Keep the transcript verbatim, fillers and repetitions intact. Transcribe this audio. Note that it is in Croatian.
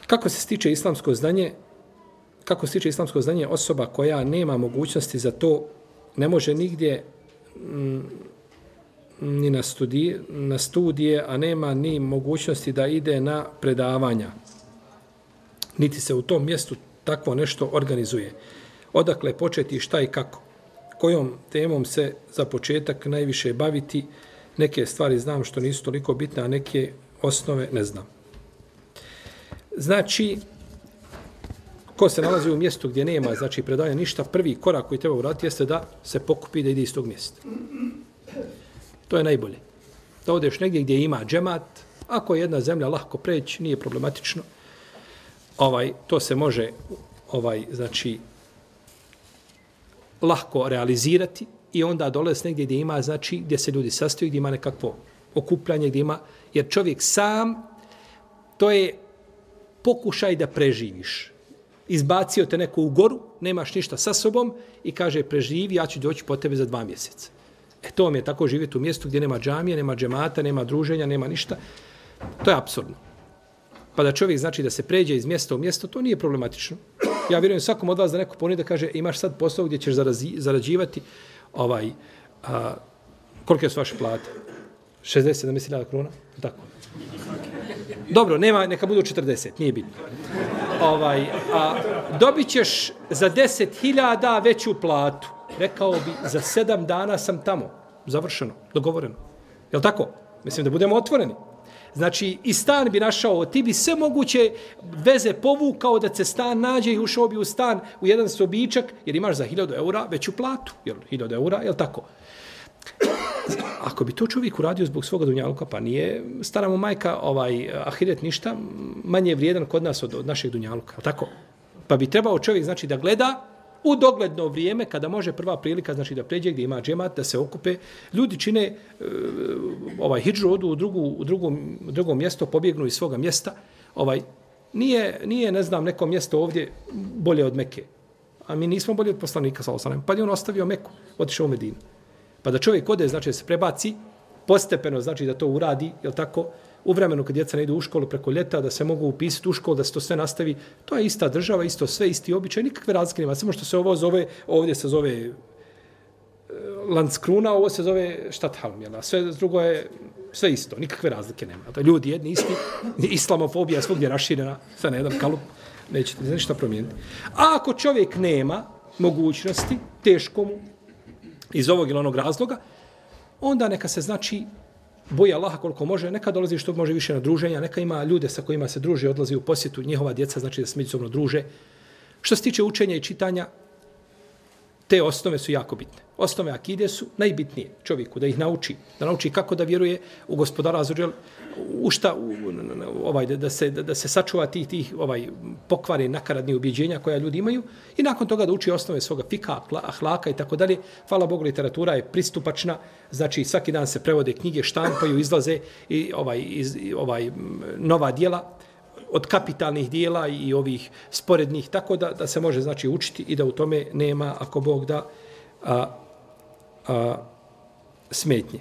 Kako se stiče islamsko znanje? Kako se stiče islamsko znanje osoba koja nema mogućnosti za to, ne može nigdje mm, ni na studije, na studije, a nema ni mogućnosti da ide na predavanja. Niti se u tom mjestu takvo nešto organizuje. Odakle početi, šta i kako? Kojom temom se za početak najviše baviti? Neke stvari znam što nisu toliko bitne, a neke osnove ne znam. Znači, ko se nalazi u mjestu gdje nema, znači, predavanja ništa, prvi korak koji treba uraditi jeste da se pokupi da ide iz tog mjesta. To je najbolje. Da odeš negdje gdje ima džemat, ako je jedna zemlja lahko preći, nije problematično. Ovaj, to se može, ovaj, znači, lahko realizirati i onda dolaz negdje gdje ima, znači, gdje se ljudi sastaju, gdje ima nekakvo okupljanje, gdje ima, jer čovjek sam, to je pokušaj da preživiš. Izbacio te neko u goru, nemaš ništa sa sobom i kaže preživi, ja ću doći po tebe za dva mjeseca. E to vam je tako živjeti u mjestu gdje nema džamije, nema džemata, nema druženja, nema ništa. To je apsurdno. Pa da čovjek znači da se pređe iz mjesta u mjesto, to nije problematično. Ja vjerujem svakom od vas da neko ponudi da kaže imaš sad posao gdje ćeš zarazi, zarađivati ovaj, a, kolike su vaše plate? šezdeset sedamdeset hiljada kruna? Tako. Dobro, nema, neka budu četrdeset, nije bitno. Ovaj, a, dobit ćeš za deset hiljada veću platu. Rekao bi, za sedam dana sam tamo. Završeno, dogovoreno. Je li tako? Mislim da budemo otvoreni. Znači, i stan bi našao, ti bi sve moguće veze povukao da se stan nađe i ušao bi u stan u jedan sobičak, jer imaš za hiljadu eura veću platu. Jel, hiljadu eura, je li tako? Ako bi to čovjek uradio zbog svoga dunjaluka, pa nije stara mu majka, ovaj, ahiret ništa, manje vrijedan kod nas od, od našeg dunjaluka, tako? Pa bi trebao čovjek, znači, da gleda u dogledno vrijeme, kada može prva prilika, znači, da pređe gdje ima džemat, da se okupe. Ljudi čine uh, ovaj, hidžru, odu u, drugu, u drugom, u drugom mjesto, pobjegnu iz svoga mjesta. Ovaj, nije, nije, ne znam, neko mjesto ovdje bolje od Mekke. A mi nismo bolji od poslanika, sallallahu alejhi ve sellem. Pa je on ostavio Meku, otišao u Medinu. Pa da čovjek ode, znači da se prebaci, postepeno, znači da to uradi, jel tako, u vremenu kad djeca ne idu u školu preko ljeta, da se mogu upisati u školu, da se to sve nastavi, to je ista država, isto sve, isti običaj, nikakve razlike nema, samo što se ovo zove, ovdje se zove Landskrona, ovo se zove Štathalm, jel, a sve drugo je sve isto, nikakve razlike nema. Da ljudi jedni isti, islamofobija svugdje raširena, sve na jedan kalup, nećete ništa promijeniti. A ako čovjek nema mogućnosti, teško mu, iz ovog ili onog razloga, onda neka se znači boji Allaha koliko može, neka dolazi što može više na druženja, neka ima ljude sa kojima se druži, odlazi u posjetu, njihova djeca znači da se međusobno druže. Što se tiče učenja i čitanja, te osnove su jako bitne. Osnove akide su najbitnije čovjeku, da ih nauči, da nauči kako da vjeruje u gospodara Azza u šta, u, ovaj, da, se, da, da se sačuva tih, tih ovaj, pokvari nakaradnih ubjeđenja koja ljudi imaju i nakon toga da uči osnove svoga fika, ahlaka i tako dalje. Hvala Bogu, literatura je pristupačna, znači svaki dan se prevode knjige, štampaju, izlaze i ovaj, iz, ovaj, nova dijela od kapitalnih dijela i ovih sporednih, tako da, da se može znači učiti i da u tome nema, ako Bog da, a, a, smetnje.